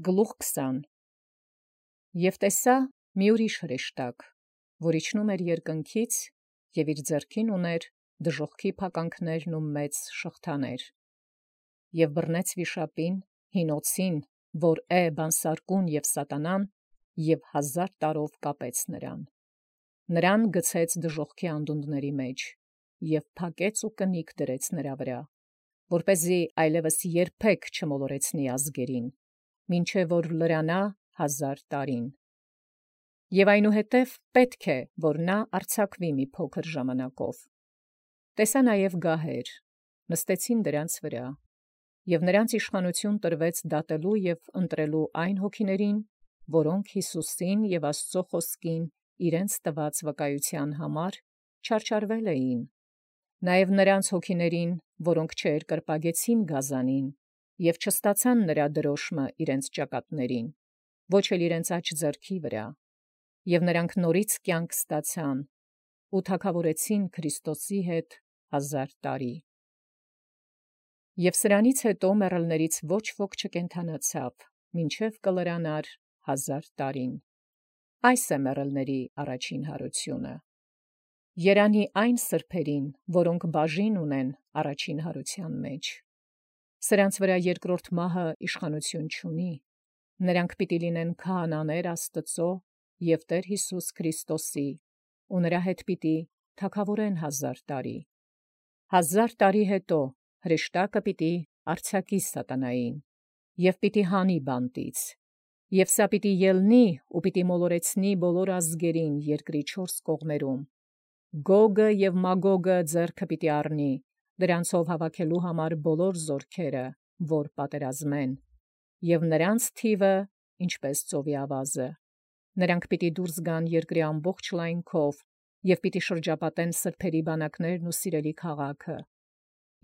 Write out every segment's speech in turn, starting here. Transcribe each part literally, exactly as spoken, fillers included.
Գլուխ քսան Եւ տեսա մի ուրիշ հրեշտակ, որ իջնում էր երկնքից, և իր ձեռքին ուներ դժոխքի փականքներն ու մեծ շղթաներ, և բռնեց վիշապին, հին օձին, որ է բանսարկուն և սատանան, և հազար տարով կապեց նրան. նրան գցեց դժոխքի անդունդների մեջ, և փակեց ու կնիկ դրեց նրա վրա, որպեսզի այլևս երբեք չմոլորեցնի ազգերին, մինչև որ լրանա հազար տարին. և այնուհետև պետք է, որ նա արձակվի մի փոքր ժամանակով. տեսա նաև գահեր, նստեցին դրանց վրա, և նրանց իշխանություն տրվեց դատելու և ընտրելու այն հոգիներին, որոնք Յիսուսին և Աստծո խոսքին իրենց տված վկայության համար չարչարվել էին, նաև նրանց հոգիներին, որոնք չերկրպագեցին գազանին, և չստացան նրա դրոշմը իրենց ճակատներին, ոչ էլ իրենց աջ ձեռքի վրա, և նրանք նորից կյանք ստացան ու թագավորեցին Քրիստոսի հետ հազար տարի։ Եւ սրանից հետո մեռելներից ոչ ոք չկենդանացավ, մինչև կլրանար հազար տարին։ Այս է մեռելների առաջին հարությունը։ Երանի այն սրբերին, որոնք բաժին ունեն առաջին հարության մեջ։ Սրանց վրա երկրորդ մահը իշխանություն չունի, նրանք պիտի լինեն քահանաներ Աստծո և Տեր Յիսուս Քրիստոսի, ու նրա հետ պիտի թագավորեն հազար տարի։ Հազար տարի հետո հրեշտակը պիտի արձակի սատանային, և պիտի հանի բանտից, և սա պիտի ելնի ու պիտի մոլորեցնի բոլոր ազգերին երկրի չորս կողմերում, Գոգը և Մագոգը ձեռքը պիտի առնի, դրանցով հավաքելու համար բոլոր զորքերը, որ պատերազմեն, և նրանց թիվը ինչպես ծովի ավազը, նրանք պիտի դուրս գան երկրի ամբողջ լայնքով, և պիտի շրջապատեն սրբերի բանակներն ու սիրելի քաղաքը,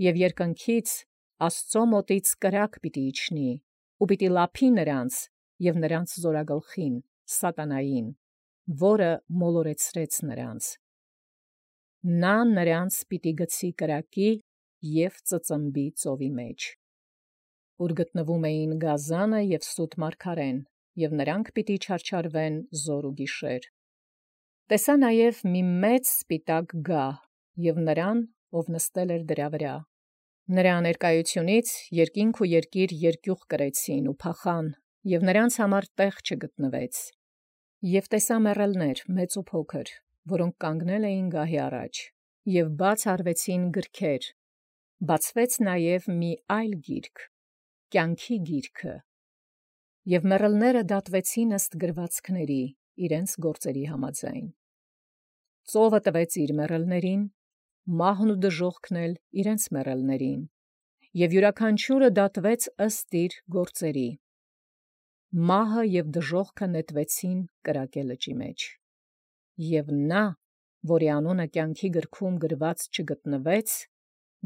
և երկնքից Աստծո մոտից կրակ պիտի իջնի, ու պիտի լափի նրանց և նրանց զորագլխին, սատանային, որը մոլորեցրեց նրանց. նա նրանց պիտի գցի կրակի և ծծմբի ծովի մեջ, ուր գտնվում էին գազանը և սուտ մարգարեն, և նրանք պիտի չարչարվեն զօր ու գիշեր։ Տեսա նաև մի մեծ սպիտակ գահ և նրան, ով նստել էր դրա վրա. նրա ներկայությունից երկինք ու երկիր երկյուղ կրեցին ու փախան, և նրանց համար տեղ չգտնվեց։ Եւ տեսա մեռելներ մեծ ու փոքր, որոնք կանգնել էին գահի առաջ, և բաց արվեցին գրքեր, բացվեց նաև մի այլ գիրք, կյանքի գիրքը, և մեռելները դատվեցին ըստ գրվածքների իրենց գործերի համաձայն։ Ծովը տվեց իր մեռելներին, մահն ու դժոխքն էլ իրենց մեռելներին, և յուրաքանչյուրը դատվեց ըստ իր գործերի։ Մահը և դժոխքը նետվեցին կրակե լճի մեջ, և նա, որի անունը կյանքի գրքում գրված չգտնվեց,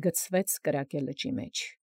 գցվեց կրակե լճի մեջ։